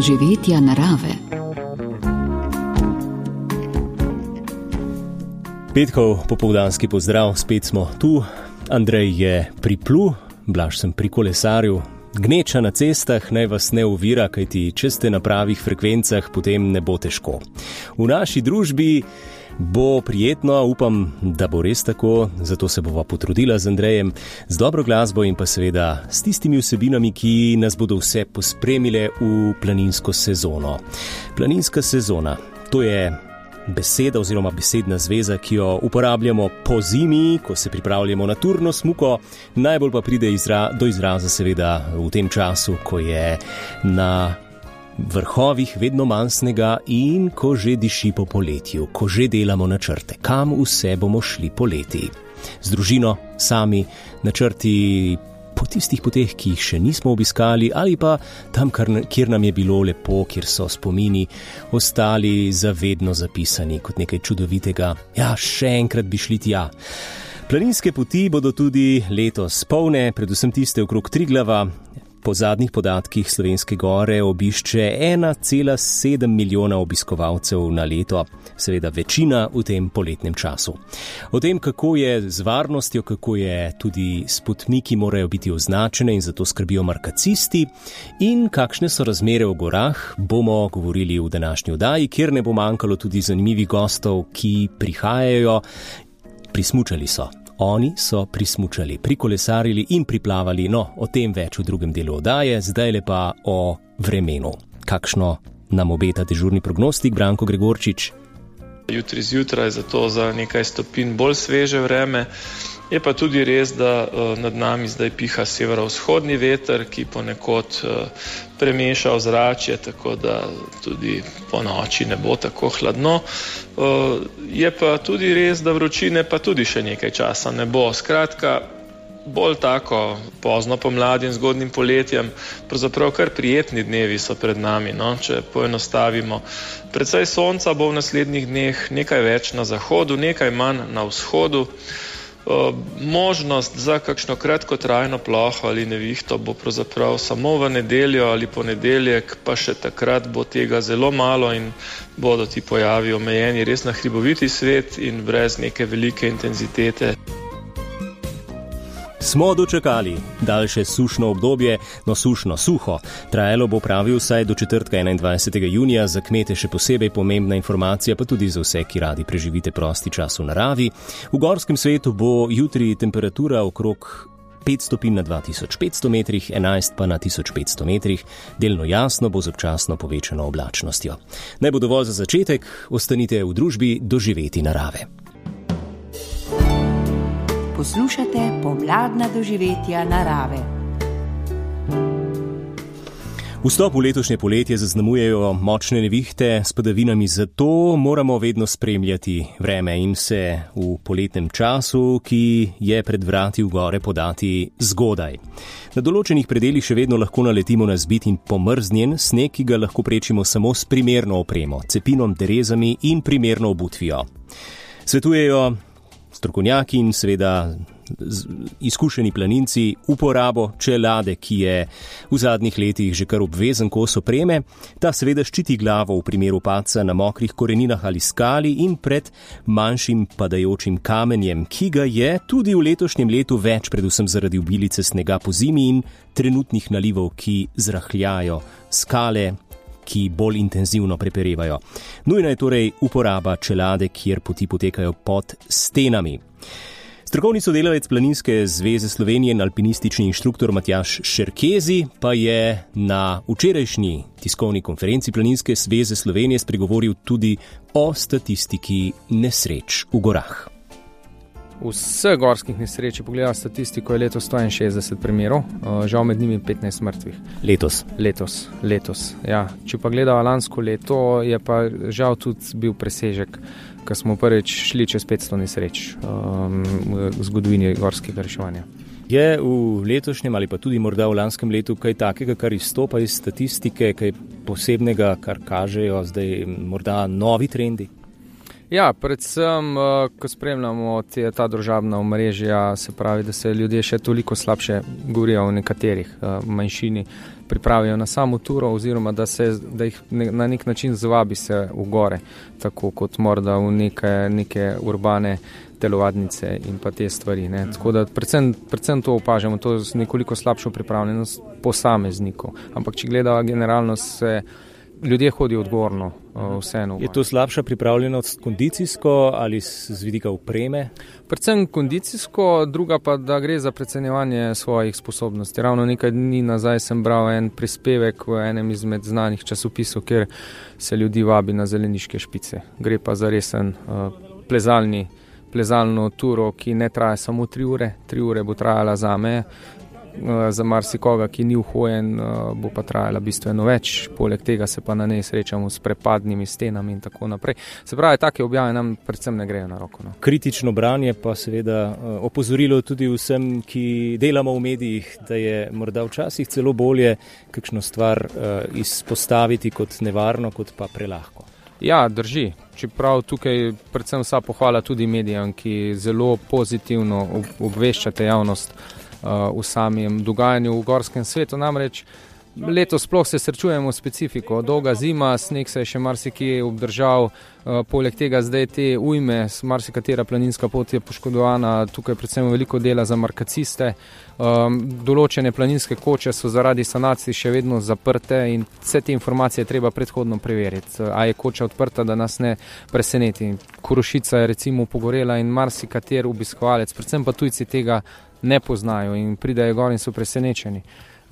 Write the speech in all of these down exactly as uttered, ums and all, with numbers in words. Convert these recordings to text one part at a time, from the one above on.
doživetja narave. Petkov popoldanski pozdrav, spet smo tu. Andrej je priplul, Blaž sem pri kolesarju. Gneča na cestah naj vas ne ovira, kajti če ste na pravih frekvencah, potem ne bo težko. V naši družbi bo prijetno, upam, da bo res tako, zato se bova potrudila z Andrejem, z dobro glasbo in pa seveda s tistimi vsebinami, ki nas bodo vse pospremile v planinsko sezono. Planinska sezona, to je beseda oziroma besedna zveza, ki jo uporabljamo po zimi, ko se pripravljamo na turno smuko, najbolj pa pride izra- do izraza seveda v tem času, ko je na vrhovih vedno manj snega in ko že diši po poletju, ko že delamo načrte, kam vse bomo šli poleti. Z družino, sami, načrti po tistih poteh, ki jih še nismo obiskali, ali pa tam, kjer nam je bilo lepo, kjer so spomini ostali zavedno zapisani kot nekaj čudovitega. Ja, še enkrat bi šli tja. Planinske poti bodo tudi letos polne, predvsem tiste okrog Triglava. Po zadnjih podatkih Slovenske gore obišče ena cela sedem milijona obiskovalcev na leto, seveda večina v tem poletnem času. O tem, kako je z varnostjo, kako je tudi s potmi, ki morajo biti označene in zato skrbijo markacisti, in kakšne so razmere v gorah, bomo govorili v današnji oddaji, kjer ne bo manjkalo tudi zanimivih gostov, ki prihajajo. Prismučali so. Oni so prismučali, prikolesarili in priplavali, no, o tem več v drugem delu oddaje, zdaj le pa o vremenu. Kakšno nam obeta dežurni prognostik, Branko Gregorčič? Jutri zjutraj zato za nekaj stopinj bolj sveže vreme. Je pa tudi res, da uh, nad nami zdaj piha severovzhodni veter, ki ponekod uh, premeša ozračje, tako da tudi po noči ne bo tako hladno. Uh, je pa tudi res, da vročine pa tudi še nekaj časa ne bo. Skratka, bolj tako pozno pomladi in zgodnjim poletjem, pravzaprav kar prijetni dnevi so pred nami, no, če poenostavimo. Precej sonca bo v naslednjih dneh, nekaj več na zahodu, nekaj manj na vzhodu. Uh, možnost za kakšno kratkotrajno ploho ali nevihto bo pravzaprav samo v nedeljo ali ponedeljek, pa še takrat bo tega zelo malo in bodo ti pojavi omejeni res na hriboviti svet in brez neke velike intenzitete. Smo dočakali daljše sušno obdobje, no sušno, suho. Trajalo bo pravi vsaj do četrtka enaindvajsetega junija, za kmete še posebej pomembna informacija, pa tudi za vse, ki radi preživite prosti čas v naravi. V gorskem svetu bo jutri temperatura okrog pet stopinj na dva tisoč petsto metrih, enajst pa na tisoč petsto metrih, delno jasno bo z občasno povečano oblačnostjo. Naj bo dovolj za začetek, ostanite v družbi doživeti narave. Poslušate pomladna doživetja narave. Vstop v letošnje poletje zaznamujejo močne nevihte s padavinami, zato moramo vedno spremljati vreme in se v poletnem času, ki je pred vrati v gore, podati zgodaj. Na določenih predelih še vedno lahko naletimo na zbit in pomrznjen sneg, ki ga lahko prečimo samo s primerno opremo, cepinom, derezami in primerno obutvijo. Svetujejo strokovnjaki in seveda izkušeni planinci uporabo čelade, ki je v zadnjih letih že kar obvezen kos opreme. Ta seveda ščiti glavo v primeru padca na mokrih koreninah ali skali in pred manjšim padajočim kamenjem, ki ga je tudi v letošnjem letu več, predvsem zaradi obilice snega po zimi in trenutnih nalivov, ki zrahljajo skale, ki bolj intenzivno preperevajo. Nujna je torej uporaba čelade, kjer poti potekajo pod stenami. Strokovni sodelavec Planinske zveze Slovenije in alpinistični inštruktor Matjaž Šerkezi pa je na včerajšnji tiskovni konferenci Planinske zveze Slovenije spregovoril tudi o statistiki nesreč v gorah. Vseh gorskih nesreč, pogleda statistiko, je letos sto enainšestdeset primerov, žal med njimi petnajst mrtvih. Letos? Letos, letos, ja. Če pa gledava lansko leto, je pa žal tudi bil presežek, ko smo prvič šli čez petsto nesreč um, v zgodovini gorskega reševanja. Je v letošnjem ali pa tudi morda v lanskem letu kaj takega, kar izstopa iz statistike, kaj posebnega, kar kažejo zdaj morda novi trendi? Ja, predvsem, ko spremljamo te, ta družabna omrežja, se pravi, da se ljudje še toliko slabše govorijo o nekaterih manjšini, pripravijo na samo turo oziroma da, se, da jih ne, na nek način zvabi se v gore, tako kot morda v neke, neke urbane telovadnice in pa te stvari. Ne. Tako da predvsem, predvsem to opažamo, to je nekoliko slabšo pripravljenost posameznikov. Ampak če gledava generalno, se ljudje hodijo odgovorno vseeno. Je to slabša pripravljenost kondicijsko ali z vidika opreme? Predvsem kondicijsko, druga pa, da gre za precenjevanje svojih sposobnosti. Ravno nekaj dni nazaj sem bral en prispevek v enem izmed znanih časopisov, kjer se ljudi vabi na zeleniške špice. Gre pa za resen uh, plezalni plezalno turo, ki ne traja samo tri ure, tri ure bo trajala za me, za marsikoga, ki ni uhojen, bo pa trajala bistveno več, poleg tega se pa na njej srečamo s prepadnimi stenami in tako naprej. Se pravi, take objave nam predvsem ne grejo na roko. No. Kritično branje pa seveda opozorilo tudi vsem, ki delamo v medijih, da je morda včasih celo bolje kakšno stvar izpostaviti kot nevarno, kot pa prelahko. Ja, drži. Čeprav tukaj predvsem vsa pohvala tudi medijem, ki zelo pozitivno obveščate javnost uh, v samem dogajanju v gorskem svetu. Namreč letos sploh se srečujemo specifiko. Dolga zima, sneg se je še marsikje obdržal, uh, poleg tega zdaj te ujme, marsikatera planinska pot je poškodovana, tukaj predvsem veliko dela za markaciste. Um, določene planinske koče so zaradi sanacij še vedno zaprte in vse te informacije treba predhodno preveriti. A je koča odprta, da nas ne preseneti. Korošica je recimo pogorela in marsikater obiskovalec, predvsem pa tujci tega ne poznajo in pridejo gor in so presenečeni.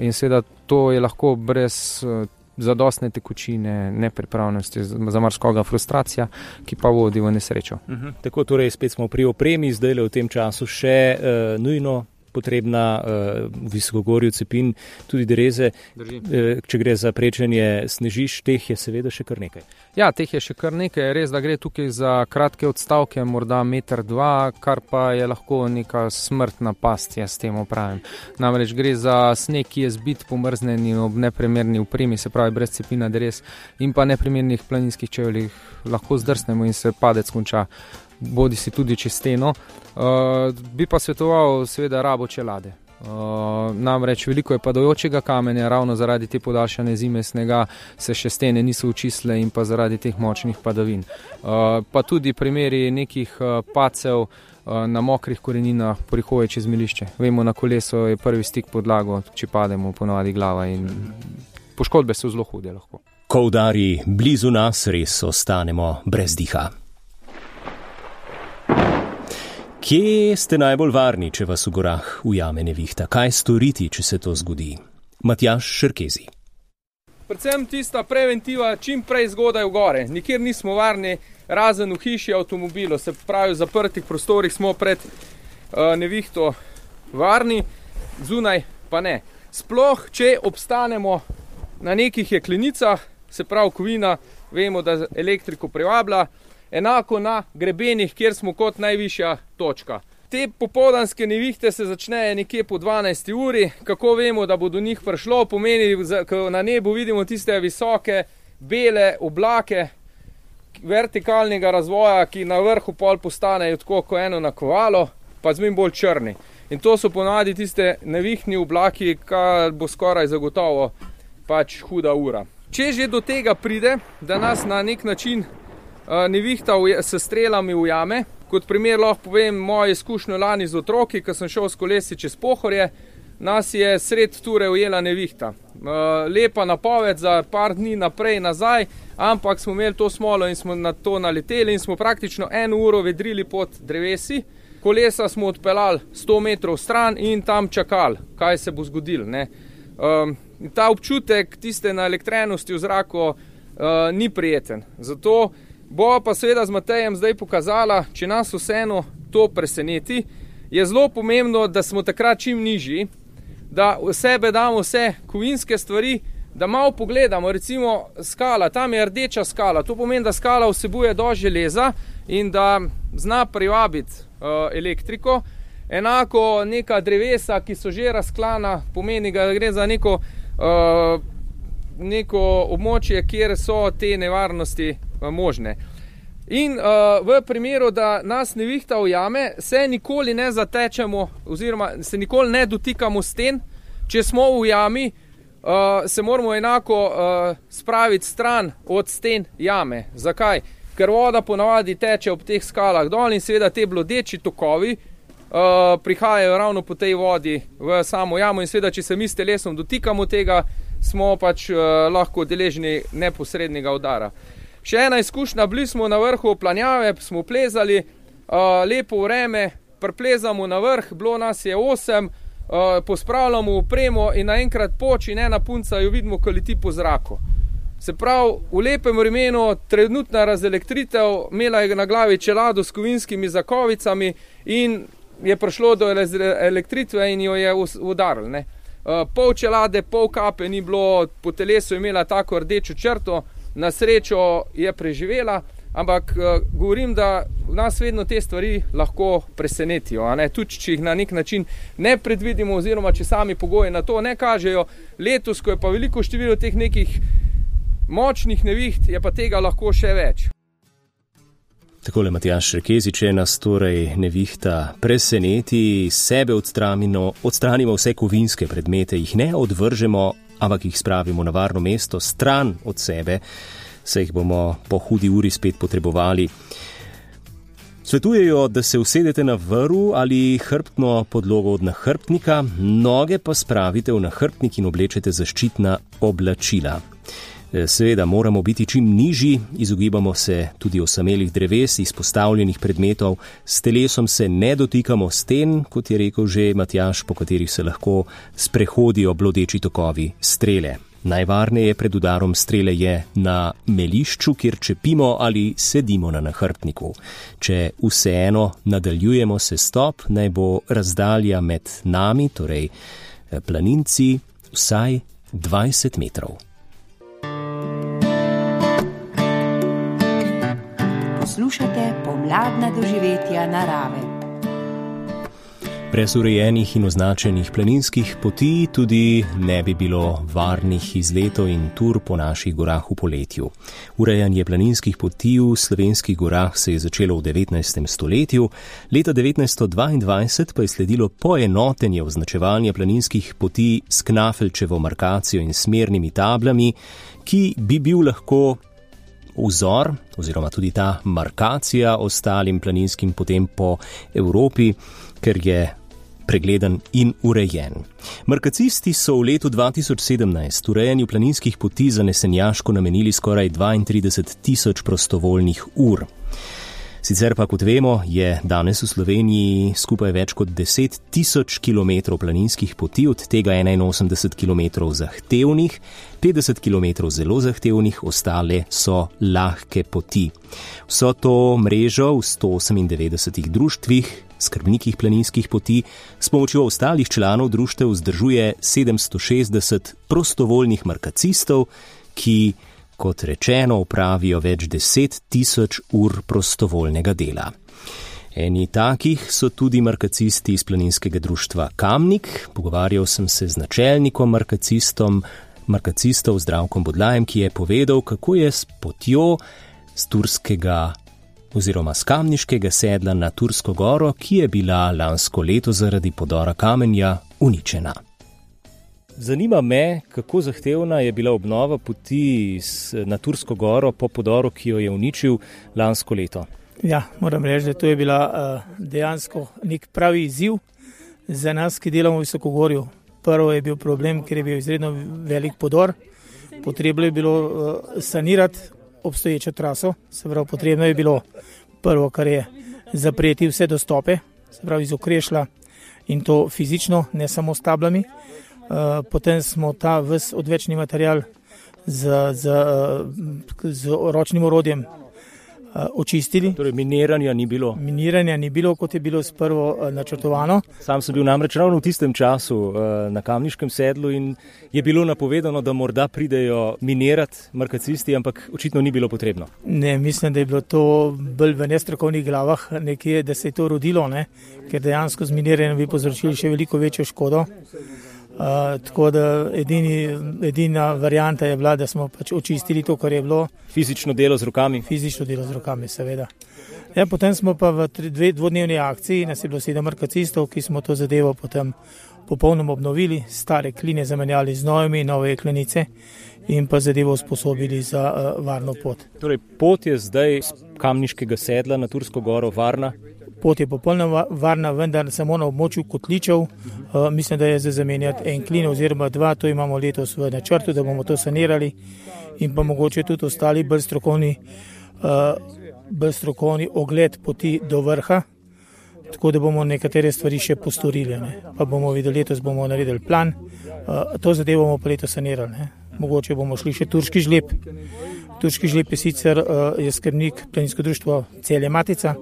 In seveda to je lahko brez uh, zadostne tekočine, nepripravljenosti, za marsikoga frustracija, ki pa vodi v nesrečo. Uh-huh. Tako torej spet smo pri opremi, zdaj le v tem času še uh, nujno potrebna uh, v Visokogorju cepin, tudi dereze. Uh, če gre za prečenje snežišč, teh je seveda še kar nekaj. Ja, teh je še kar nekaj. Res, da gre tukaj za kratke odstavke, morda meter, dva, kar pa je lahko neka smrtna past, jaz s tem opravim. Namreč gre za sneg, ki je zbit, pomrznen in ob neprimerni opremi, se pravi brez cepina derez in pa neprimernih planinskih čevljih lahko zdrsnemo in se padec konča. Bodi si tudi čez steno. Uh, bi pa svetoval seveda rabo čelade. Uh, namreč veliko je padajočega kamenja, ravno zaradi te podaljšane zime snega se še stene niso očistile in pa zaradi teh močnih padavin. Uh, pa tudi primeri nekih uh, pacev uh, na mokrih koreninah pri hoji čez milišče. Vemo, na koleso je prvi stik podlago, če pademo ponovadi glava in poškodbe so zelo hude lahko. Ko udari blizu nas, res ostanemo brez diha. Kje ste najbolj varni, če vas v gorah ujame nevihta? Kaj storiti, če se to zgodi? Matjaž Šerkezi. Predvsem tista preventiva, čim prej zgodaj v gore. Nikjer nismo varni, razen v hiši, avtomobilu. Se pravi, v zaprtih prostorih smo pred uh, nevihto varni, zunaj pa ne. Sploh, če obstanemo na nekih jeklenicah, se pravi kovina, vemo, da elektriko privablja, enako na grebenih, kjer smo kot najvišja točka. Te popoldanske nevihte se začnejo nekje po dvanajsti uri. Kako vemo, da bo do njih prišlo? Pomeni, ko na nebu vidimo tiste visoke, bele oblake vertikalnega razvoja, ki na vrhu pol postanejo tako kot eno nakovalo, pa zmeraj bolj črni. In to so ponavadi tiste nevihni oblaki, kar bo skoraj zagotovo pač huda ura. Če že do tega pride, da nas na nek način nevihta s strelami ujame. Kot primer lahko povem mojo izkušnjo lani z otroki, ko sem šel s kolesi čez Pohorje, nas je sred ture ujela nevihta. Lepa napoved za par dni naprej nazaj, ampak smo imeli to smolo in smo na to naleteli in smo praktično eno uro vedrili pod drevesi. Kolesa smo odpeljali sto metrov stran in tam čakali, kaj se bo zgodilo. Ne? Ta občutek tiste naelektrenosti v zraku ni prijeten. Zato bo pa seveda z Matejem zdaj pokazala, če nas vseeno to preseneti, je zelo pomembno, da smo takrat čim nižji, da v sebe damo vse kovinske stvari, da malo pogledamo, recimo skala, tam je rdeča skala, to pomeni, da skala vsebuje dosti železa in da zna privabiti uh, elektriko. Enako neka drevesa, ki so že razklana, pomeni, da gre za neko, uh, neko območje, kjer so te nevarnosti možne. In uh, v primeru, da nas nevihta ujame, se nikoli ne zatečemo oziroma se nikoli ne dotikamo sten. Če smo v jami, uh, se moramo enako uh, spraviti stran od sten jame. Zakaj? Ker voda ponavadi teče ob teh skalah dol in seveda te blodeči tokovi uh, prihajajo ravno po tej vodi v samo jamo in seveda, če se mi s telesom dotikamo tega, smo pač uh, lahko deležni neposrednega udara. Še ena izkušnja, bili smo na vrhu planjave, smo plezali, uh, lepo vreme, priplezamo na vrh, bilo nas je osem, uh, pospravljamo opremo in naenkrat poč in ena punca jo vidimo, ko leti po zraku. Se pravi, v lepem vremenu, trenutna razelektritev, imela je na glavi čelado s kovinskimi zakovicami in je prišlo do elektritve in jo je udaril. Ne? Uh, pol čelade, pol kape ni bilo, po telesu je imela tako rdečo črto, na srečo je preživela, ampak uh, govorim, da v nas vedno te stvari lahko presenetijo. A ne? Tudi, če jih na nek način ne predvidimo oziroma če sami pogoji na to ne kažejo. Letos, ko je pa veliko število teh nekih močnih neviht, je pa tega lahko še več. Takole Matjaž Rekezi, če nas torej nevihta preseneti, sebe odstranimo, odstranimo vse kovinske predmete, jih ne odvržemo, ampak jih spravimo na varno mesto, stran od sebe, se jih bomo po hudi uri spet potrebovali. Svetujejo, da se usedete na vrv ali hrbtno podlogo od nahrbtnika, noge pa spravite v nahrbtnik in oblečete zaščitna oblačila. Seveda moramo biti čim nižji, izogibamo se tudi osamelih dreves, izpostavljenih predmetov, s telesom se ne dotikamo sten, kot je rekel že Matjaž, po katerih se lahko sprehodijo blodeči tokovi strele. Najvarneje pred udarom strele je na melišču, kjer čepimo ali sedimo na nahrbtniku. Če vseeno nadaljujemo sestop, naj bo razdalja med nami, torej planinci, vsaj dvajset metrov. Poslušate pomladna doživetja narave. Brez urejenih in označenih planinskih poti tudi ne bi bilo varnih izletov in tur po naših gorah v poletju. Urejanje planinskih poti v slovenskih gorah se je začelo v devetnajstem stoletju, leta devetnajststo dvaindvajset pa je sledilo poenotenje označevanja planinskih poti s knafelčevo markacijo in smernimi tablami, ki bi bil lahko vzor, oziroma tudi ta markacija ostalim planinskim potem po Evropi, ker je pregleden in urejen. Markacisti so v letu dva tisoč sedemnajst urejanju planinskih poti za nesenjaško namenili skoraj dvaintrideset tisoč prostovoljnih ur. Sicer pa, kot vemo, je danes v Sloveniji skupaj več kot deset tisoč kilometrov planinskih poti, od tega enainosemdeset kilometrov zahtevnih, petdeset kilometrov zelo zahtevnih, ostale so lahke poti. Vso to mrežo v sto osemindevetdesetih društvih, skrbnikih planinskih poti, s pomočjo ostalih članov društev vzdržuje sedemsto šestdeset prostovoljnih markacistov, ki kot rečeno, upravijo več deset tisoč ur prostovoljnega dela. Eni takih so tudi markacisti iz planinskega društva Kamnik. Pogovarjal sem se z načelnikom markacistom, markacistov Zdravkom Bodlajem, ki je povedal, kako je s potjo z turskega oziroma z kamniškega sedla na Tursko goro, ki je bila lansko leto zaradi podora kamenja uničena. Zanima me, kako zahtevna je bila obnova poti na Tursko goro po podoru, ki jo je uničil lansko leto. Ja, moram reči, da to je bila uh, dejansko nek pravi izziv za nas, ki delamo v Visokogorju. Prvo je bil problem, ker je bil izredno velik podor. Potrebno je bilo uh, sanirati obstoječo traso, se pravi, potrebno je bilo prvo, kar je zapreti vse dostope, se pravi iz Okrešlja in to fizično, ne samo s tablami. Uh, potem smo ta ves odvečni material z, z, z ročnim orodjem uh, očistili. Torej miniranja ni bilo? Miniranja ni bilo, kot je bilo sprvo uh, načrtovano. Sam sem bil namreč ravno v tistem času uh, na kamniškem sedlu in je bilo napovedano, da morda pridejo minirati markacisti, ampak očitno ni bilo potrebno. Ne, mislim, da je bilo to bolj v nestrokovnih glavah nekje, da se je to rodilo, ne? Ker dejansko z miniranjem bi povzročili še veliko večjo škodo. Uh, tako da edini, edina varianta je bila, da smo pač očistili to, kar je bilo. Fizično delo z rokami? Fizično delo z rokami, seveda. Ja, potem smo pa v dve, dvodnevni akciji, nas je bilo sedem markacistov, ki smo to zadevo potem popolnoma obnovili, stare kline zamenjali z novimi, nove jeklenice in pa zadevo usposobili za uh, varno pot. Torej, pot je zdaj z Kamniškega sedla na Tursko goro varna? Pot je popolnoma varna, vendar samo na območju kotličev. Uh, mislim, da je za zamenjati en klin oziroma dva, to imamo letos v načrtu, da bomo to sanirali in pa mogoče tudi ostali bolj strokovni, uh, bolj strokovni ogled poti do vrha, tako da bomo nekatere stvari še postorili. Ne. Pa bomo videli, letos bomo naredili plan, uh, to zadevo bomo pa letos sanirali. Ne. Mogoče bomo šli še turški žleb. Turški žleb je sicer uh, je skrbnik planinsko društvo Celje Matica,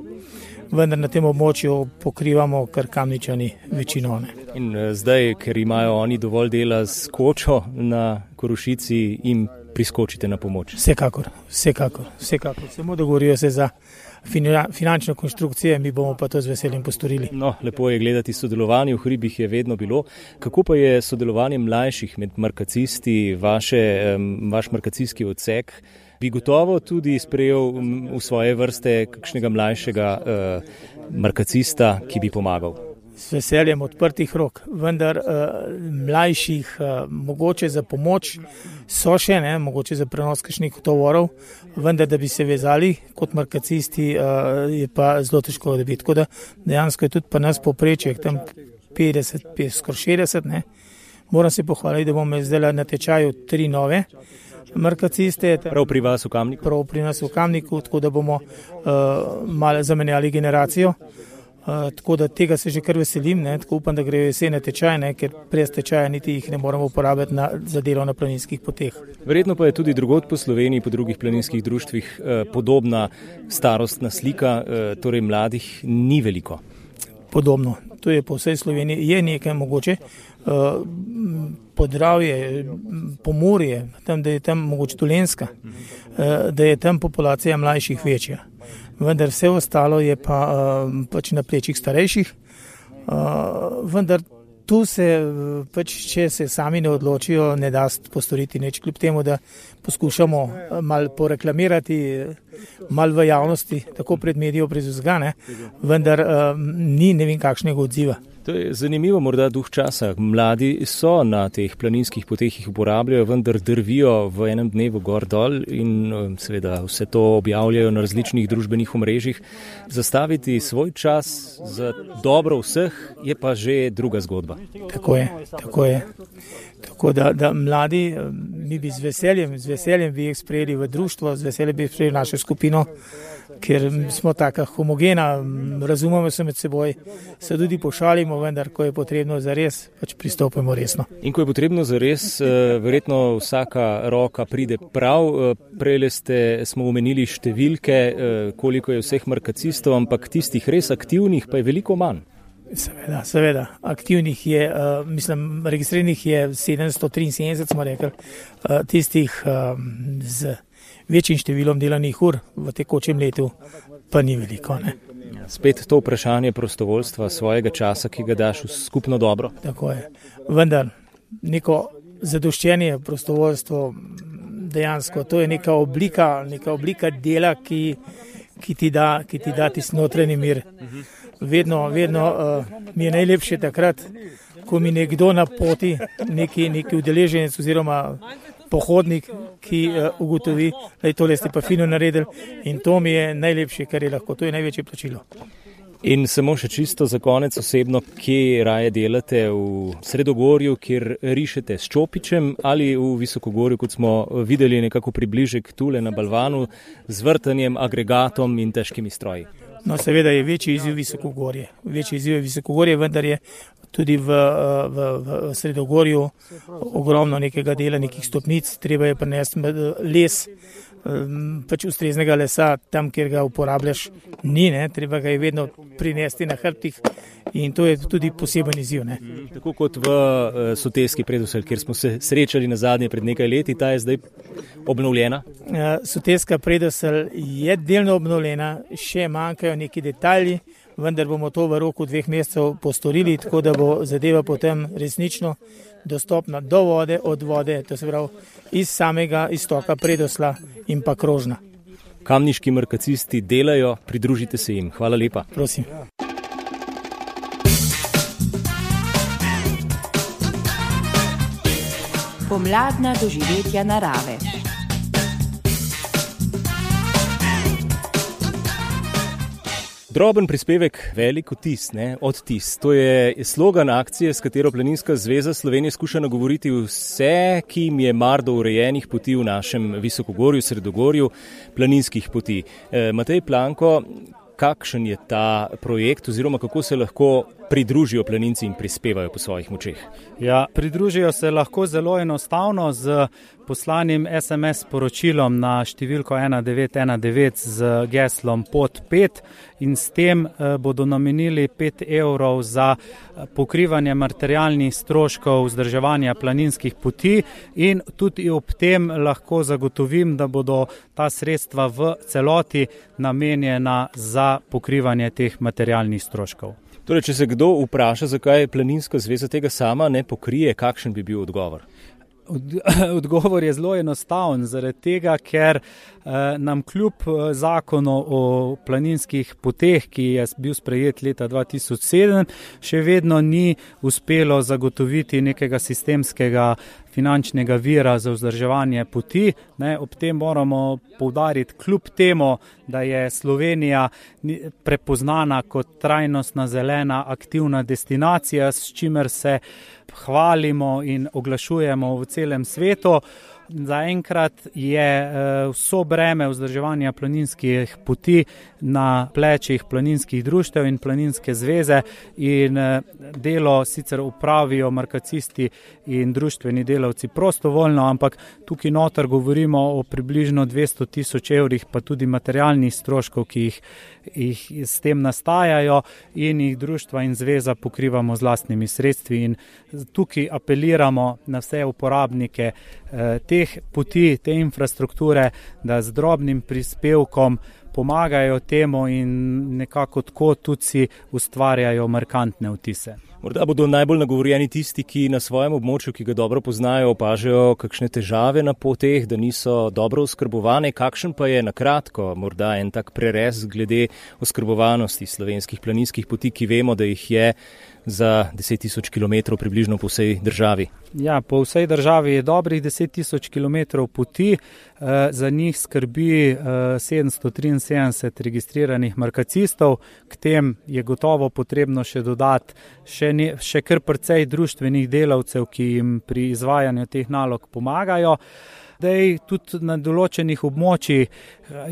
vendar na tem območju pokrivamo kar Kamničani večino. Ne. In uh, zdaj, ker imajo oni dovolj dela s kočo na Korošici, jim priskočite na pomoč? Vsekakor, vsekakor, vsekakor. Samo dogovorijo se za finančne konstrukcije, mi bomo pa to z veseljem postorili. No, lepo je gledati sodelovanje, v hribih je vedno bilo. Kako pa je sodelovanje mlajših med markacisti, vaše, vaš markacijski odsek? Bi gotovo tudi sprejel v svoje vrste kakšnega mlajšega eh, markacista, ki bi pomagal? S veseljem odprtih rok, vendar uh, mlajših uh, mogoče za pomoč so še, ne, mogoče za prenos kakšnih tovorov, vendar da bi se vezali kot markacisti uh, je pa zelo težko dobiti. Tako da dejansko je tudi pa nas povprečje, tam petdeset, skoraj šestdeset, ne. Moram se pohvaliti, da bomo zdaj na tečaju tri nove markaciste. Prav pri vas v Kamniku? Prav pri nas v Kamniku, tako da bomo uh, malo zamenjali generacijo. Uh, tako da tega se že kar veselim, ne, tako upam, da gre jesene tečaj, ne, ker brez tečaja niti jih ne moramo uporabiti na, za delo na planinskih poteh. Verjetno pa je tudi drugod po Sloveniji, po drugih planinskih društvih eh, podobna starostna slika, eh, torej mladih ni veliko. Podobno, to je po vsej Sloveniji, je nekaj mogoče, uh, Podravje, Pomurje, tam, da je tam mogoče Dolenjska, uh, da je tam populacija mlajših večja. Vendar vse ostalo je pa uh, pač na plečih starejših, uh, vendar tu se, pač, če se sami ne odločijo, ne da postoriti nič, kljub temu, da poskušamo malo poreklamirati, malo v javnosti, tako pred medijo, pred vzgane, vendar uh, ni ne vem kakšnega odziva. To je zanimivo, morda duh časa. Mladi so na teh planinskih poteh, jih uporabljajo, vendar drvijo v enem dnevu gor dol in seveda vse to objavljajo na različnih družbenih omrežjih. Zastaviti svoj čas za dobro vseh je pa že druga zgodba. Tako je, tako je. Tako da, da mladi, mi bi z veseljem, z veseljem bi jih sprejeli v društvo, z veseljem bi sprejeli našo skupino, ker smo taka homogena, razumemo se med seboj, se tudi pošalimo, vendar ko je potrebno za res, pač pristopimo resno. In ko je potrebno za res, verjetno vsaka roka pride prav. Prejle ste, smo omenili številke, koliko je vseh markacistov, ampak tistih res aktivnih pa je veliko manj. Seveda, seveda. Aktivnih je, uh, mislim, registriranih je sedemsto triinsedemdeset, smo rekli, uh, tistih uh, z večjim številom delanih ur v tekočem letu pa ni veliko. Ne? Spet to vprašanje prostovoljstva, svojega časa, ki ga daš v skupno dobro. Tako je. Vendar neko zadoščenje prostovoljstvo dejansko, to je neka oblika, neka oblika dela, ki, ki ti da, ki ti da tisti notranji mir. Vedno, vedno uh, mi je najlepše takrat, ko mi nekdo na poti, neki, neki udeleženec oziroma pohodnik, ki uh, ugotovi, da je tole ste pa fino naredili in to mi je najlepše, kar je lahko, to je največje plačilo. In samo še čisto za konec osebno, kje raje delate, v Sredogorju, kjer rišete s čopičem ali v Visokogorju, kot smo videli nekako približek tule na balvanu, z vrtanjem, agregatom in težkimi stroji? No, seveda je večji izziv Visokogorje. Večji izziv je Visokogorje, vendar je tudi v, v, v Sredogorju ogromno nekega dela, nekih stopnic. Treba je prinesti les, pač ustreznega lesa, tam, kjer ga uporabljaš, ni, ne? Treba ga je vedno prinesti na hrbtih in to je tudi poseben izziv. Ne? Tako kot v uh, Soteski predvsel, kjer smo se srečali na zadnje pred nekaj leti, ta je zdaj obnovljena? Uh, Soteska predvsel je delno obnovljena, še manjkajo neki detalji, vendar bomo to v roku dveh mesecev postorili, tako da bo zadeva potem resnično dostopna do vode, od vode, to se pravi iz samega istoka Predosla in pa Krožna. Kamniški markacisti delajo, pridružite se jim. Hvala lepa. Prosim. Pomladna doživetja narave. Droben prispevek, velik vtis, ne, odtis. To je slogan akcije, s katero Planinska zveza Slovenije skuša nagovoriti vse, ki jim je mar do urejenih poti v našem Visokogorju, Sredogorju, planinskih poti. E, Matej Planko, kakšen je ta projekt oziroma kako se lahko pridružijo planinci in prispevajo po svojih močeh? Ja, pridružijo se lahko zelo enostavno z poslanim es em es sporočilom na številko ena devet ena devet z geslom pot pet in s tem eh, bodo namenili pet evrov za pokrivanje materialnih stroškov vzdrževanja planinskih poti in tudi ob tem lahko zagotovim, da bodo ta sredstva v celoti namenjena za pokrivanje teh materialnih stroškov. Torej, če se kdo vpraša, zakaj Planinska zveza tega sama ne pokrije, kakšen bi bil odgovor? Odgovor je zelo enostaven, zaradi tega, ker eh, nam kljub zakonu o planinskih poteh, ki je bil sprejet leta dva tisoč sedem, še vedno ni uspelo zagotoviti nekega sistemskega finančnega vira za vzdrževanje poti. Ne, ob tem moramo poudariti, kljub temu, da je Slovenija prepoznana kot trajnostna, zelena, aktivna destinacija, s čimer se hvalimo in oglašujemo v celem svetu. Zaenkrat je vso breme vzdrževanja planinskih poti na plečih planinskih društev in planinske zveze in delo sicer upravijo markacisti in društveni delavci prostovoljno, ampak tukaj noter govorimo o približno dvesto tisoč evrih, pa tudi materialnih stroškov, ki jih, jih s tem nastajajo in jih društva in zveza pokrivamo z lastnimi sredstvi in tukaj apeliramo na vse uporabnike eh, teh poti, te infrastrukture, da z drobnim prispevkom pomagajo temu in nekako tako tudi si ustvarjajo markantne vtise. Morda bodo najbolj nagovorjeni tisti, ki na svojem območju, ki ga dobro poznajo, opažajo kakšne težave na poteh, da niso dobro oskrbovane. Kakšen pa je na kratko morda en tak prerez glede oskrbovanosti slovenskih planinskih poti, ki vemo, da jih je za deset tisoč kilometrov približno po vsej državi? Ja, po vsej državi je dobrih deset tisoč kilometrov poti, za njih skrbi sedemsto triinsedemdeset registriranih markacistov, k tem je gotovo potrebno še dodati še, ne, še kar precej društvenih delavcev, ki jim pri izvajanju teh nalog pomagajo. Dej, tudi na določenih območjih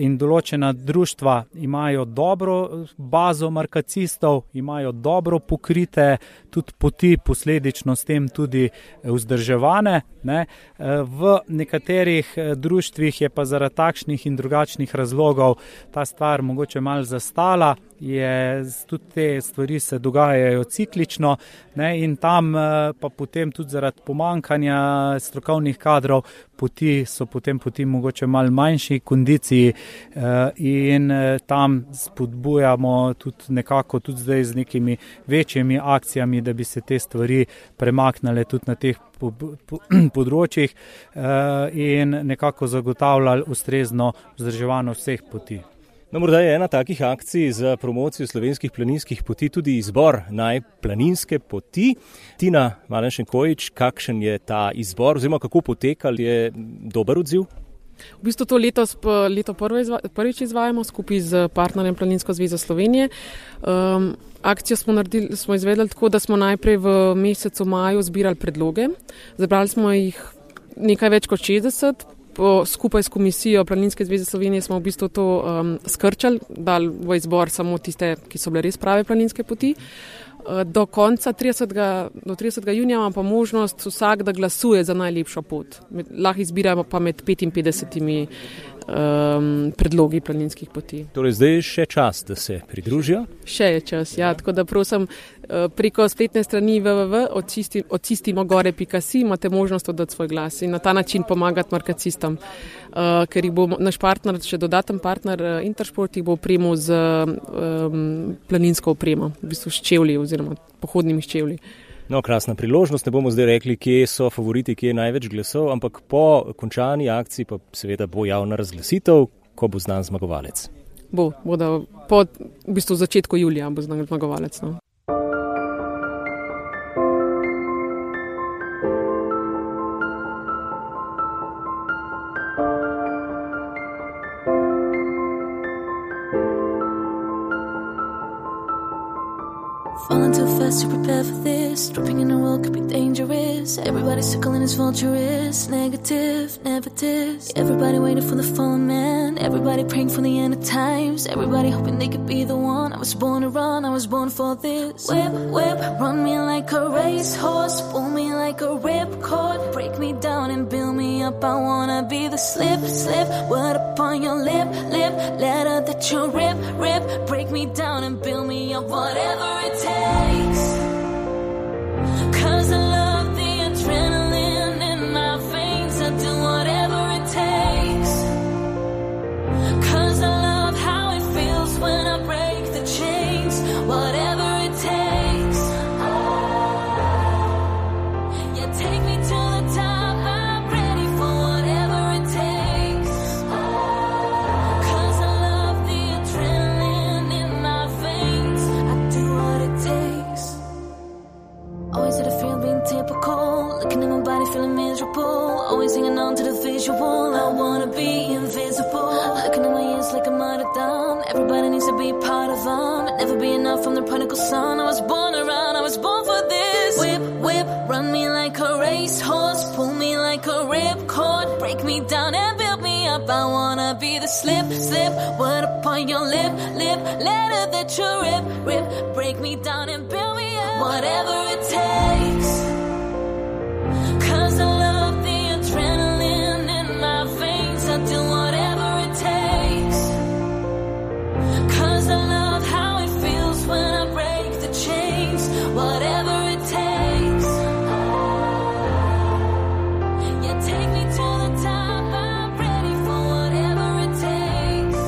in določena društva imajo dobro bazo markacistov, imajo dobro pokrite tudi poti, posledično s tem tudi vzdrževane. Ne. V nekaterih društvih je pa zaradi takšnih in drugačnih razlogov ta stvar mogoče malo zastala, je, tudi te stvari se dogajajo ciklično, ne, in tam pa potem tudi zaradi pomankanja strokovnih kadrov poti so potem poti mogoče malo manjši kondiciji in tam spodbujamo tudi nekako tudi zdaj z nekimi večjimi akcijami, da bi se te stvari premaknile tudi na teh področjih in nekako zagotavljali ustrezno vzdrževanje vseh poti. No, morda je ena takih akcij za promocijo slovenskih planinskih poti tudi izbor najplaninske poti. Tina Malenšenkovič, kakšen je ta izbor oziroma kako poteka, je dober odziv? V bistvu to letos, leto prvič izvajamo skupaj z partnerjem Planinsko zvezo Slovenije. Um, akcijo smo, naredili, smo izvedli tako, da smo najprej v mesecu maju zbirali predloge. Zabrali smo jih nekaj več kot šestdeset. Po, skupaj s komisijo Planinske zveze Slovenije smo v bistvu to um, skrčali, dali v izbor samo tiste, ki so bile res prave planinske poti. Do konca tridesetega, do tridesetega junija imamo pa možnost vsak, da glasuje za najlepšo pot. Med, lahko izbiramo pa med petinpetdesetimi um, predlogi planinskih poti. Torej zdaj je še čas, da se pridružijo? Še je čas, ja. Tako da prosim, preko spletne strani w w w dot očistimogore pika si imate možnost oddati svoj glas in na ta način pomagati markacistom. Uh, ker jih bo naš partner, še dodaten partner uh, Intersport, jih bo opremil z um, planinsko opremo, v bistvu s čevlji oziroma pohodnimi s čevlji. No, krasna priložnost, ne bomo zdaj rekli, kje so favoriti, kje je največ glasov, ampak po končani akciji pa seveda bo javna razglasitev, ko bo znan zmagovalec. Bo, bo da po v bistvu začetku julija bo znan zmagovalec. No. Falling too fast to prepare for this. Dropping in the world could be dangerous. Everybody circling is vulturous. Negative, negative. Everybody waiting for the fallen man. Everybody praying for the end of times. Everybody hoping they could be the one. I was born to run, I was born for this. Whip, whip, run me like a racehorse. Pull me like a ripcord. Break me down and build me up. I wanna be the slip, slip. Word upon your lip, lip. Letter that you rip, rip. Break me down and build me up. Whatever it takes. Cause I love the adrenaline in my veins. I do whatever it takes. Cause I love how it feels when I break the chains. Whatever it takes. Yeah, take me to the top. I'm ready for whatever it takes. Cause I love the adrenaline in my veins. I do what it takes. Always had a fear of being typical. Looking at my body feeling miserable. Always hanging on to the visual. I wanna be invisible. Looking at my ears like I'm out of done. Everybody needs to be part of them. But never be enough from the prodigal son. I was born around, I was born for this. Whip, whip, run me like a racehorse. Pull me like a ripcord. Break me down and build me up. I wanna be the slip, slip. Word upon your lip, lip. Letter that you rip, rip. Break me down and build me up. Whatever it takes. Cause I love the adrenaline in my veins. I do whatever it takes. Cause I love how it feels when I break the chains. Whatever it takes. Yeah, take me to the top. I'm ready for whatever it takes.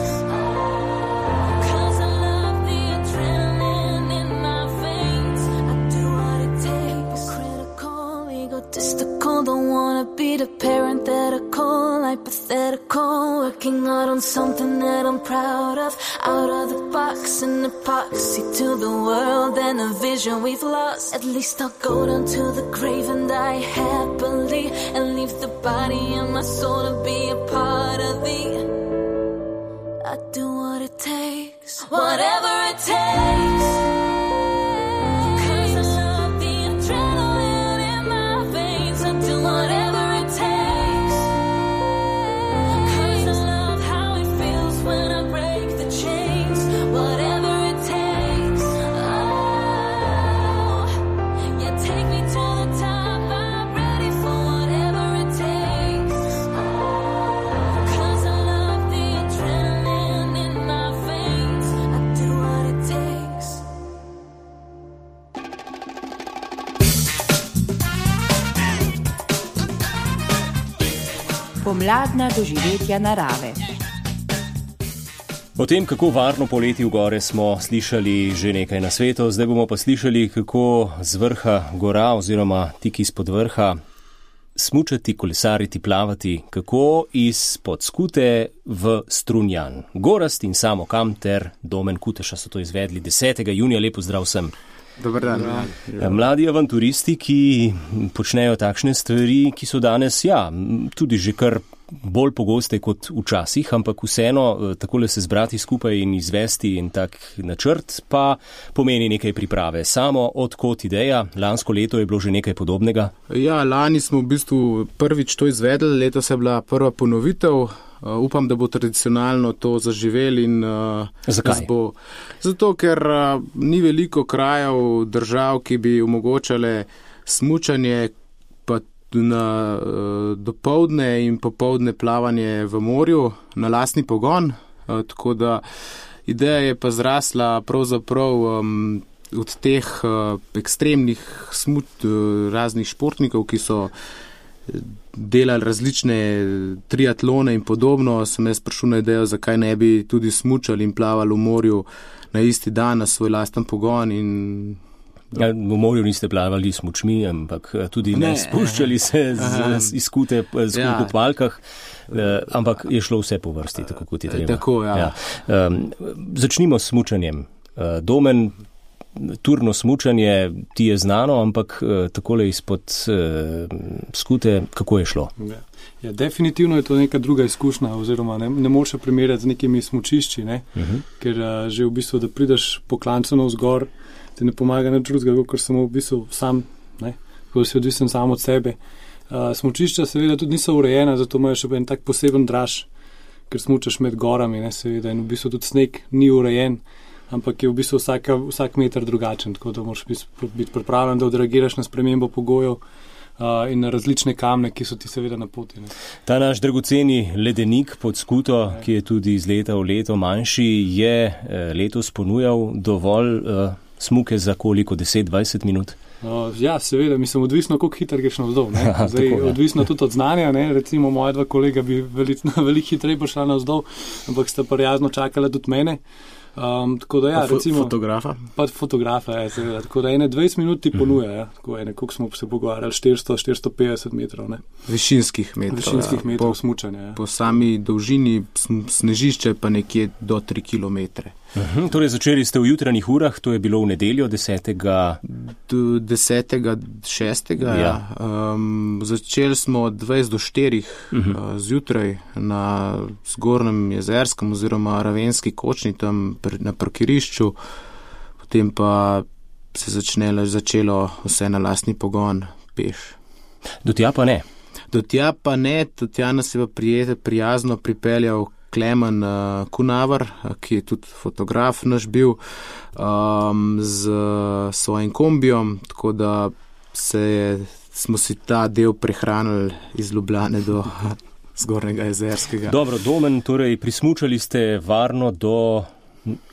Cause I love the adrenaline in my veins. I do what it takes. Critical, egotistical. Don't wanna be the parenthetical, hypothetical. Working hard on something that I'm proud of. Out of the box, an epoxy to the world and a vision we've lost. At least I'll go down to the grave and die happily. And leave the body and my soul to be a part of thee. I do what it takes. Whatever it takes. Cause I love the adrenaline in my veins. I do whatever it takes. Cause I love how it feels when I break the chains. Whatever it takes. Oh, yeah, take me to the top. I'm ready for whatever it takes. Cause I love the adrenaline in my veins. I do what it takes. Pomladna doživetja narave. O tem, kako varno poleti v gore, smo slišali že nekaj na svetu, zdaj bomo pa slišali, kako z vrha gora oziroma tik izpod vrha smučati, kolesariti, plavati, kako izpod Skute v Strunjan. Gorast in Samo Kam ter Domen Kuteša so to izvedli desetega junija. Lepo zdrav vsem. Dobar dan. Ja. Mladi avanturisti, ki počnejo takšne stvari, ki so danes, ja, tudi že kar bolj pogoste kot včasih, ampak vseeno takole se zbrati skupaj in izvesti in tak načrt pa pomeni nekaj priprave. Samo odkot ideja? Lansko leto je bilo že nekaj podobnega? Ja, lani smo v bistvu prvič to izvedli, letos je bila prva ponovitev. Uh, upam, da bo tradicionalno to zaživel in uh, zakaj? Bo, zato, ker uh, ni veliko krajev, držav, ki bi omogočale smučanje pa na uh, dopoldne in popoldne plavanje v morju na lastni pogon. Uh, tako da ideja je pa zrasla pravzaprav um, od teh uh, ekstremnih smut uh, raznih športnikov, ki so delali različne triatlone in podobno, sem jaz prišel na idejo, zakaj ne bi tudi smučali in plavali v morju na isti dan na svoj lasten pogon. In ja, v morju niste plavali s smučmi, ampak tudi ne, ne spuščali se z, z izkute z ja. v kopalkah, ampak je šlo vse po vrsti, tako kot je treba. Tako, ja. Ja. Um, začnimo s smučanjem. Domen, turno smučanje ti je znano, ampak uh, takole izpod uh, Skute, kako je šlo? Ja. Ja, definitivno je to neka druga izkušnja, oziroma ne, ne moreš primerjati z nekimi smučišči, ne? Uh-huh. Ker uh, že v bistvu, da prideš po klancu navzgor, ti ne pomaga nič drugega, ker sem v bistvu sam, ne, ko si odvisen sam od sebe. Uh, smučišča seveda tudi niso urejena, zato imajo še en tak poseben draž, ker smučaš med gorami, ne, seveda, in v bistvu tudi sneg ni urejen, ampak je v bistvu vsaka, vsak meter drugačen, tako da moraš biti pripravljen, da odreagiraš na spremembo pogojev Uh, in na različne kamne, ki so ti seveda na poti. Ne. Ta naš dragoceni ledenik pod skuto, ne. Ki je tudi iz leta v leto manjši, je eh, letos ponujal dovolj eh, smuke za koliko, deset do dvajset minut? Uh, ja, seveda, mislim, odvisno, koliko hitro greš navzdol. Ne. Zdaj, tako, odvisno tudi od znanja, ne. Recimo moja dva kolega bi veliko velik hitreje prišla navzdol, ampak sta prijazno čakala tudi mene. Um, tako da ja, fo- recimo... Fotografa? Pa fotografa, ja, seveda. Tako da ene dvajset minut ti ponuja, ja. Tako ene, koliko smo se pogovarjali, štiristo do štiristo petdeset metrov, ne. Višinskih metrov. Višinskih ja. metrov po, smučanja, ja. Po sami dolžini snežišče pa nekje do tri kilometre. Uhum, torej začeli ste v jutranjih urah, to je bilo v nedeljo desetega desetega šestega Ja. Um, začeli smo od dvajset do štirih uh, zjutraj na Zgornjem Jezerskem oziroma Ravenski kočni tam pr, na parkirišču, potem pa se začnelo, začelo vse na lastni pogon peš. Do tja pa ne? Do tja pa ne, do tja nas je pa prijete, prijazno pripeljal Klemen uh, Kunavar, ki je tudi fotograf naš bil, um, z svojim kombijom, tako da se je, smo si ta del prehranili iz Ljubljane do Zgornjega Jezerskega. Dobro, Domen, torej prismučali ste varno do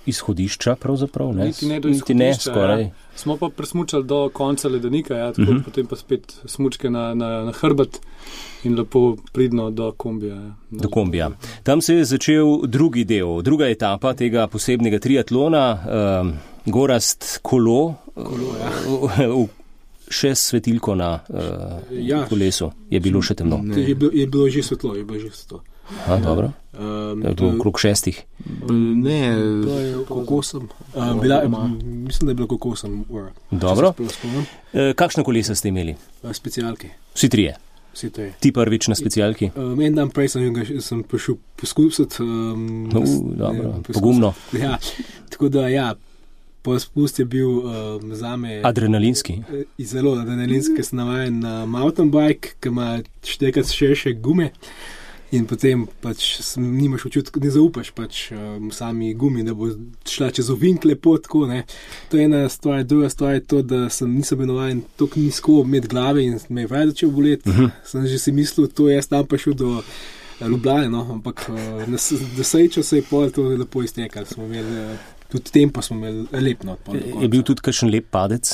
izhodišča pravzaprav, ne? Niti ne do Niti ne, izhodišča, skoraj. Ja. Smo pa presmučali do konca ledenika, ja, tako, uh-huh. Potem pa spet smučke na, na, na hrbet in lepo pridno do kombija. Ja. Do kombija. Tam se je začel drugi del, druga etapa tega posebnega triatlona, um, gorast kolo, kolo ja. v, še svetilko na uh, ja. kolesu. Je bilo še temno? Je bilo, je bilo že svetlo, je bilo že svetlo. Aha, dobro. Um, je bilo okrog šestih. Ne, bilo je kokosem. Um, bila, mislim, da je bilo kokosem ura. Dobro. E, kakšna kolesa ste imeli? Specialke. Vsi trije? Vsi trije. Ti prvič na specialki? Um, en dan prej sem, sem prišel poskusiti. Um, no, dobro, ne, pogumno. Ja, tako da ja. Po spust je bil um, zame... Adrenalinski. Zelo adrenalinski, ker sem navajen na mountain bike, ki ima štekati širše gume in potem pač nimaš občutka, ne zaupaš pač um, sami gumi, da bo šla čez ovink lepo, tako, ne. To je ena stvar, druga stvar je to, da sem nisem bil navajen toliko nizko med glave in me je vraj začel boleti. Uh-huh. Sem že si mislil, to jaz tam pa šel do Ljubljane, no, ampak uh, na srečo se je pol to lepo iztekalo. Smo imeli... Tudi tempo smo imeli lep na odpor. Je bil tudi kakšen lep padec?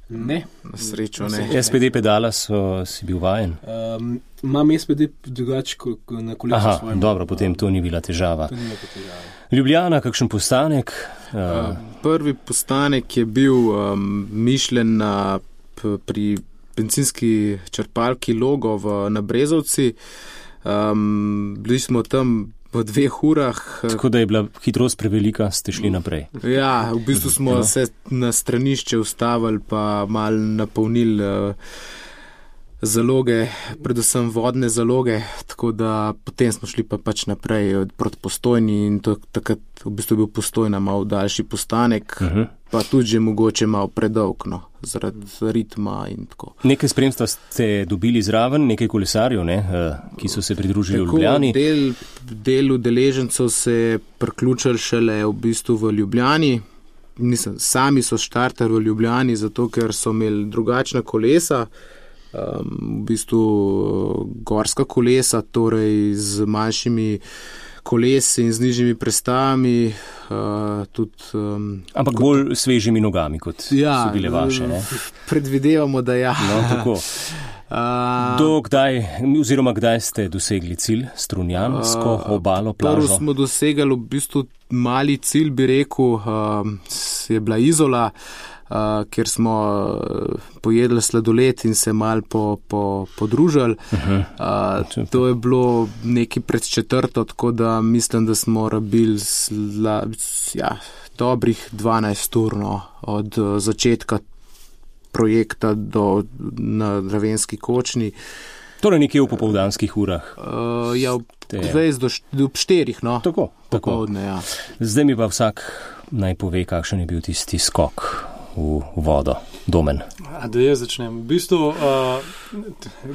Ne. Na srečo ne. S P D pedala so, si bil vajen? Um, imam S P D drugače na kolesu. Aha, svojim. Dobro, potem to ni bila težava. To ni bila težava. Ljubljana, kakšen postanek? Uh, prvi postanek je bil um, mišljen na, p, pri bencinski črpalki Logo v, na Brezovci. Um, bili smo tam v dveh urah. Tako da je bila hitrost prevelika, ste šli naprej. Ja, v bistvu smo ja. se na stranišče ustavili pa malo napolnili uh, zaloge, predvsem vodne zaloge, tako da potem smo šli pa pač naprej proti Postojni in to, takrat v bistvu bil Postojna malo daljši postanek, uh-huh. pa tudi že mogoče malo predolg, no, zaradi ritma in tako. Nekaj spremstva ste dobili zraven, nekaj kolesarjev, ne, ki so se pridružili v Ljubljani. Del, del udeležencev se je priključili šele v bistvu v Ljubljani. Nisem, sami so štartali v Ljubljani, zato ker so imeli drugačna kolesa, um, v bistvu gorska kolesa, torej z manjšimi kolesi in z nižjimi prestavami. Uh, tudi, um, Ampak kot, bolj svežimi nogami, kot ja, so bile vaše. Ne? Predvidevamo, da ja. No, tako. Uh, Do kdaj, oziroma kdaj ste dosegli cilj, Strunjansko uh, obalo, plažo? Prvo smo dosegali v bistvu mali cilj, bi rekel, uh, je bila Izola, uh, kjer smo pojedli sladoled in se mal po, po, podružili. Uh-huh. Uh, to je bilo nekaj pred četrto, tako da mislim, da smo rabili zla, ja, dobrih dvanajst ur no, od uh, začetka projekta do, na Ravenski kočni. Torej nekje v popoldanskih urah? Uh, ja, dvajset do štirih, no. Tako, tako. Popovdne, ja. Zdaj mi pa vsak naj pove, kakšen je bil tisti skok v vodo? Domen. A, da jaz začnem. V bistvu, uh,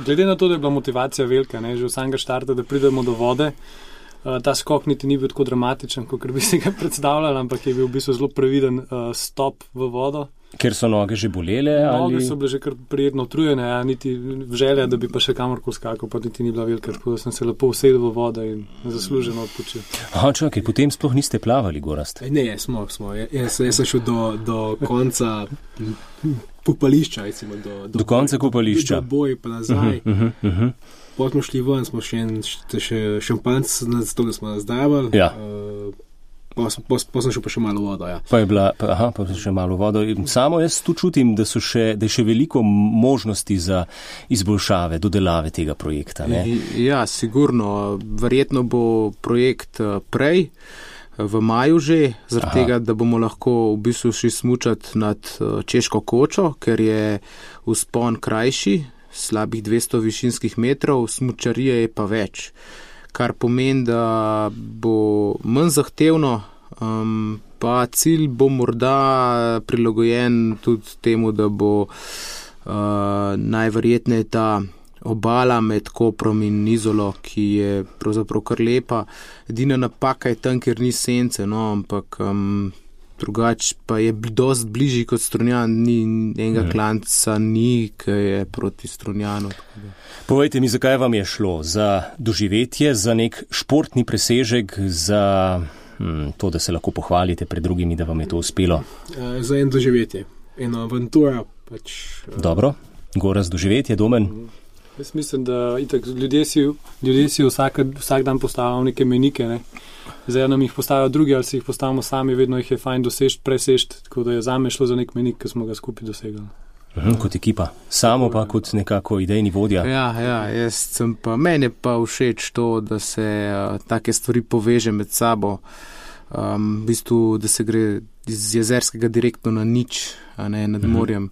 glede na to, da je bila motivacija velika, ne, že v samega štarta, da pridemo do vode, uh, ta skok niti ni bil tako dramatičen, kot bi si ga predstavljali, ampak je bil v bistvu zelo previden uh, stop v vodo. Ker so noge že bolele? Noge ali... so bile že kar prijetno utrujene, a niti želja, da bi pa še kamorkoli skakal, pa niti ni bila velika, tako da sem se lepo usedel v vodo in zasluženo odpočil. Aha, čakaj, potem sploh niste plavali, Gorazd? Ne, smo, smo. Jaz, jaz sem šel do, do konca kopališča, recimo, do, do, do konca kopališča. Do boj pa nazaj. Uh -huh, uh -huh. Potem smo šli ven, smo še, še šampanc, zato da smo nazdravili. Ja. Uh, Pa sem šel pa še malo vodo, ja. Pa je bila, pa, aha, pa še malo vodo. Samo jaz tu čutim, da, so še, da je še veliko možnosti za izboljšave, dodelave tega projekta, ne? Ja, sigurno. Verjetno bo projekt prej, v maju že, zaradi tega, da bomo lahko v bistvu šli smučati nad Češko kočo, ker je vzpon krajši, slabih dvesto višinskih metrov, smučarije je pa več. Kar pomeni, da bo manj zahtevno, um, pa cilj bo morda prilagojen tudi temu, da bo uh, najverjetneje ta obala med Koprom in Izolo, ki je pravzaprav kar lepa. Edina napaka je tam, ker ni sence, no, ampak um, drugače pa je dosti bližji kot Strunjan, ni enega hmm. klanca, ni, ki je proti Strunjanu. Povejte mi, zakaj vam je šlo? Za doživetje, za nek športni presežek, za hm, to, da se lahko pohvalite pred drugimi, da vam je to uspelo? Uh, za en doživetje, eno avantura. Pač, uh... Dobro, Gorazd, doživetje, Domen? Uh, jaz mislim, da itak, ljudje si, ljudje si vsak, vsak dan postavljamo neke menike, ne? Zdaj nam jih postavijo drugi, ali si jih postavimo sami, vedno jih je fajn dosežti, presežti, tako da je zame šlo za nek menik, ki smo ga skupaj dosegli. Kot ekipa, samo pa kot nekako idejni vodja. Ja, ja, jaz sem pa, meni pa všeč to, da se uh, take stvari poveže med sabo, um, v bistvu, da se gre iz Jezerskega direktno na nič, a ne nad morjem.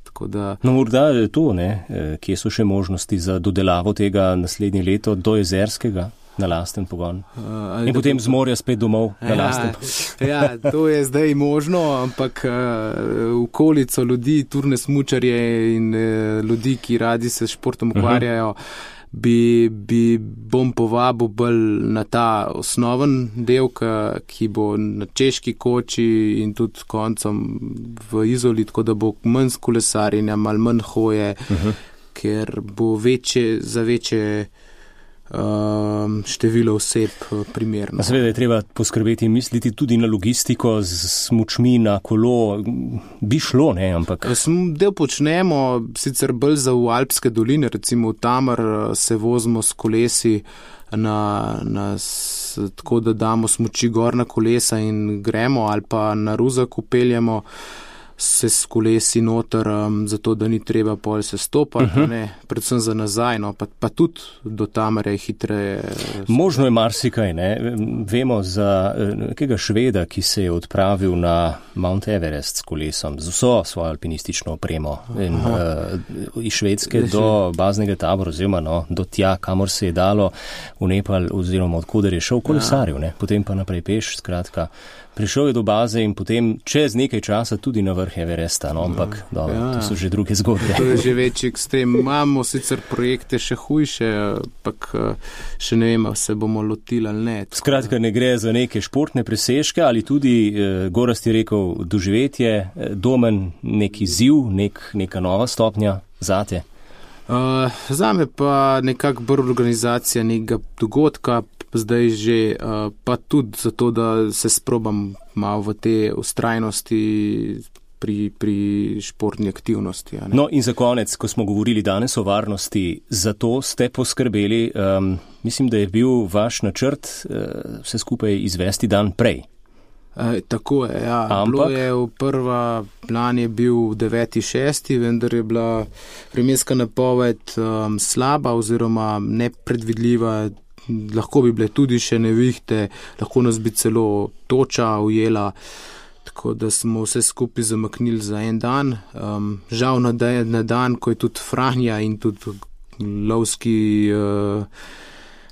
Tako da... No, morda je to, ne, kje so še možnosti za dodelavo tega naslednje leto do Jezerskega? Na lasten pogon. Uh, in potem z morja spet domov na ja, lasten pogon. Ja, to je zdaj možno, ampak uh, okolico ljudi, turne smučarje in uh, ljudi, ki radi se športom ukvarjajo, uh -huh. bi, bi bom povabil bolj na ta osnoven del, ki bo na Češki koči in tudi koncem v Izoli, tako da bo manj s kolesarjenja, malo manj hoje, uh -huh. ker bo večje, za večje Um, število oseb primerno. Seveda je treba poskrbeti in misliti tudi na logistiko z smučmi na kolo. Bi šlo, ne, ampak... Del počnemo, sicer bolj za v Alpske doline, recimo v Tamar se vozimo s kolesi na, na, s, tako da damo smuči gor na kolesa in gremo, ali pa na Ruzak upeljemo se s kolesi noter, um, zato da ni treba pol se stopati, uh -huh. ne, predvsem za nazaj, no, pa, pa tudi do Tamare je hitreje. Možno je marsikaj, ne. Vemo za nekega Šveda, ki se je odpravil na Mount Everest s kolesom, z vso svojo alpinistično opremo in uh, iz Švedske do baznega tabora, oziroma no, do tja, kamor se je dalo v Nepal, oziroma odkuder je šel kolesarjev, ne, potem pa naprej peš, skratka. Prišel je do baze in potem čez nekaj časa tudi na vrh Everesta, no, ampak dobro, ja, to so že druge zgodbe. To je že večji ekstrem. Imamo sicer projekte še hujše, ampak še ne vemo, se bomo lotili ali ne. Skratka, ne gre za neke športne presežke ali tudi, eh, Gorazd je rekel, doživetje, eh, Domen, neki ziv, nek, neka nova stopnja zate? Uh, zame pa nekako bolj organizacija nekega dogodka, zdaj že uh, pa tudi zato, da se sprobam malo v te ustrajnosti pri, pri športni aktivnosti. No in za konec, ko smo govorili danes o varnosti, za to ste poskrbeli, um, mislim, da je bil vaš načrt uh, vse skupaj izvesti dan prej. E, tako je, ja. Ampak... Bilo je v prva plan je bil deveti šesti, vendar je bila vremenska napoved um, slaba oziroma nepredvidljiva. Lahko bi bile tudi še nevihte, lahko nas bi celo toča ujela, tako da smo vse skupaj zamaknili za en dan. Um, žal na, na dan, ko je tudi Franja in tudi lovski uh,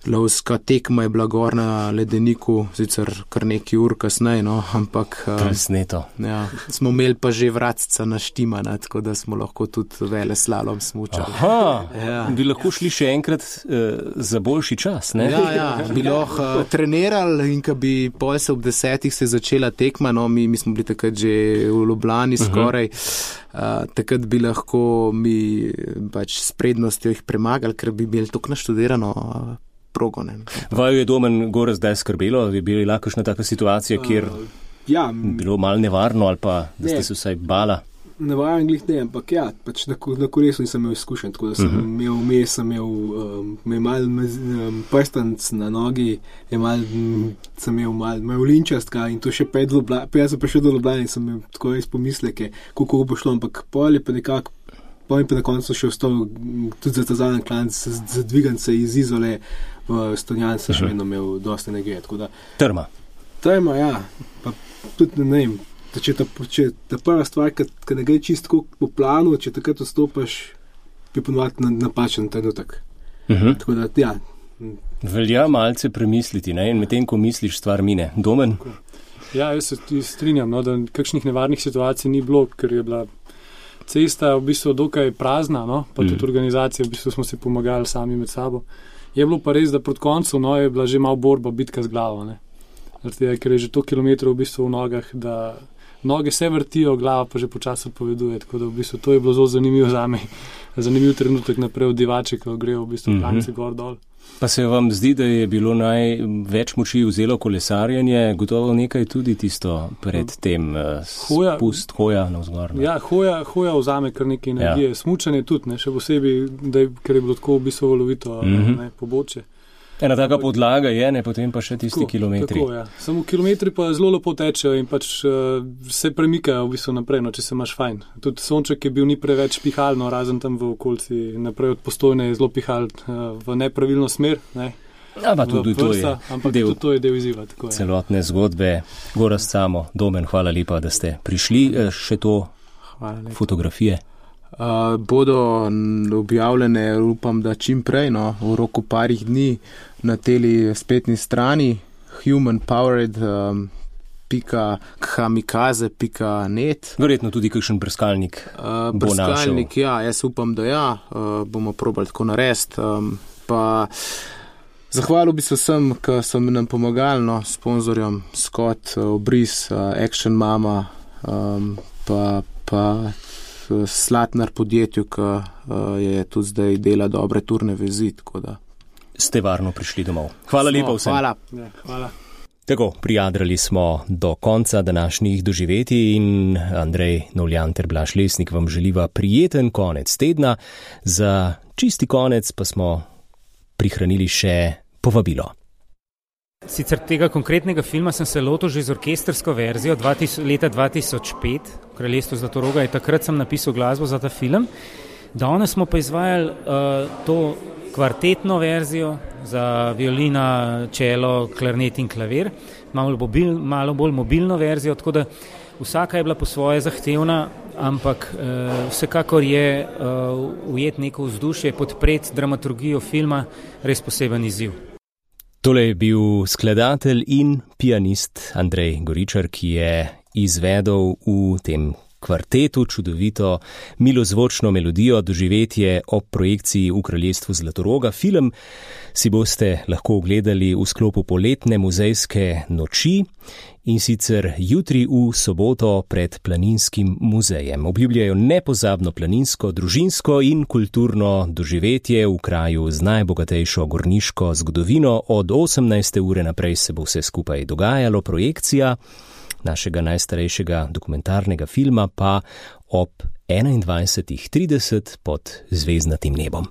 lovska tekma je bila gor na ledeniku, sicer kar nekaj ur kasneje, no, ampak presneto. Ja, smo imeli pa že vratca naštimana, tako da smo lahko tudi vele slalom smučali. Aha, ja. Bi lahko šli še enkrat uh, za boljši čas, ne? Ja, ja, bi lahko uh, trenirali in ko bi pol se ob desetih se začela tekma, no, mi, mi smo bili takrat že v Ljubljani skoraj, uh, takrat bi lahko mi pač s prednostjo jih premagali, ker bi imeli toliko naštudirano uh, progo. Vaju je Domen gore zdaj skrbelo, je bila kakšna taka situacija, kjer uh, ja, bilo malo nevarno ali pa da ste se vsaj bala? Nevaren glih ne, ampak ja, pač na, na kolesu nisem imel izkušen, tako da sem uh-huh. imel vmes, sem imel um, mal um, prstanc na nogi, je mal, m, sem imel mal, mal linčastka in to še pet Ljubljana, pa jaz sem prišel do Ljubljana in sem imel tako res pomisleke, kako bo šlo, ampak pol je pa nekako, pol je pa na koncu še ostal tudi za ta zadnji klanc, zadvigan se iz Izole v Stonjan, sem še vedno imel dosti energije, tako da. Trma. Trma, ja, pa tudi ne vem. Če ta, če ta prva stvar, ki ne gre čisto po planu, če takrat vstopaš, bi ponovati na napačen trenutek. Uh-huh. Tako da, ja. Velja malce premisliti, ne? In medtem, ko misliš, stvar mine. Domen? Ja, jaz se tudi strinjam, no, da kakšnih nevarnih situacij ni bilo, ker je bila cesta v bistvu dokaj prazna, no, pa tudi mm. organizacija, v bistvu smo si pomagali sami med sabo. Je bilo pa res, da proti koncu, no, je bila že malo borba, bitka z glavo, ne. Zato, ker je že to kilometrov v bistvu v nogah, da noge se vrtijo, glava pa že počasi odpoveduje, tako da v bistvu to je bilo zelo zanimivo zame, zanimiv trenutek naprej od divače, ko gre v bistvu klanci mm-hmm. gor dol. Pa se vam zdi, da je bilo največ moči vzelo kolesarjenje, gotovo nekaj tudi tisto pred tem hoja, spust, hoja navzgor. Ja, hoja, hoja vzame kar nekaj energije, ja. Smučanje tudi, ne, še posebej, da je, ker je bilo tako v bistvu valovito mm-hmm. ne, poboče. Ena taka podlaga je, ne, potem pa še tisti tako, kilometri. Tako, ja. Samo kilometri pa zelo lepo tečejo in pač uh, se premikajo v bistvu naprej, no, če se imaš fajn. Tudi sonček je bil ni preveč pihalno, razen tam v okolici naprej od Postojne je zelo pihal uh, v nepravilno smer, ne. Ja, pa tudi to je ampak del, tudi to je del izziva. Tako, celotne ja. Zgodbe. Gorazd Samo, Domen, hvala lepa, da ste prišli. Še to fotografije. Uh, bodo objavljene, upam, da čim prej, no, v roku parih dni na teli spletni strani humanpowered pika kamikaze pika net. Verjetno tudi kakšen brskalnik uh, bo našel. Brskalnik, ja, jaz upam, da ja, uh, bomo probali tako narediti. Um, pa zahvalil bi se vsem, ki so mi nam pomagali, no, sponzorjem Scott, Obris, uh, Action Mama, um, pa pa Slatnar podjetju, ki uh, je tudi zdaj dela dobre turne vezi, tako da. Ste varno prišli domov. Hvala smo, lepa vsem. Hvala. Ja, hvala. Tako, prijadrali smo do konca današnjih doživetij in Andrej Novljan ter Blaž Lesnik vam želiva prijeten konec tedna. Za čisti konec pa smo prihranili še povabilo. Sicer tega konkretnega filma sem se lotil že z orkestrsko verzijo leta dva tisoč pet, v Kraljestvu Zlatoroga, in takrat sem napisal glasbo za ta film. Danes smo pa izvajali uh, to kvartetno verzijo za violina, čelo, klarnet in klavir, malo, mobil, malo bolj mobilno verzijo, tako da vsaka je bila po svoje zahtevna, ampak uh, vsekakor je uh, ujet neko vzdušje, podpreti dramaturgijo filma, res poseben izziv. Tole je bil skladatelj in pianist Andrej Goričar, ki je izvedel v tem kvartetu čudovito milozvočno melodijo Doživetje ob projekciji v Kraljestvu Zlatoroga. Film si boste lahko ogledali v sklopu poletne muzejske noči in sicer jutri v soboto pred Planinskim muzejem. Obljubljajo nepozabno planinsko, družinsko in kulturno doživetje v kraju z najbogatejšo gorniško zgodovino. Od osemnajste ure naprej se bo vse skupaj dogajalo, projekcija našega najstarejšega dokumentarnega filma pa ob enaindvajsetih trideset pod zvezdnatim nebom.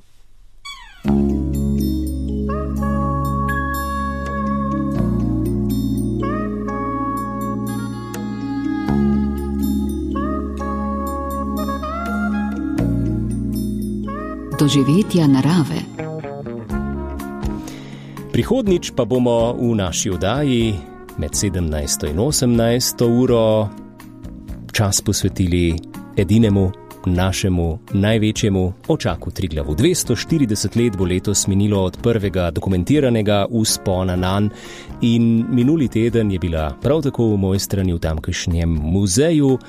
Doživetja narave. Prihodnič pa bomo v naši oddaji med sedemnajsto in osemnajsto uro čas posvetili edinemu našemu največjemu očaku Triglavu. dvesto štirideset let bo letos minilo od prvega dokumentiranega vzpona nanj in minuli teden je bila prav tako v moji strani v tamkajšnjem muzeju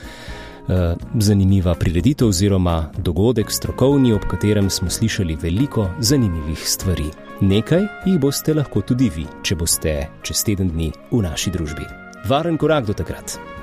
zanimiva prireditev oziroma dogodek strokovni, ob katerem smo slišali veliko zanimivih stvari. Nekaj jih boste lahko tudi vi, če boste čez teden dni v naši družbi. Varen korak do takrat.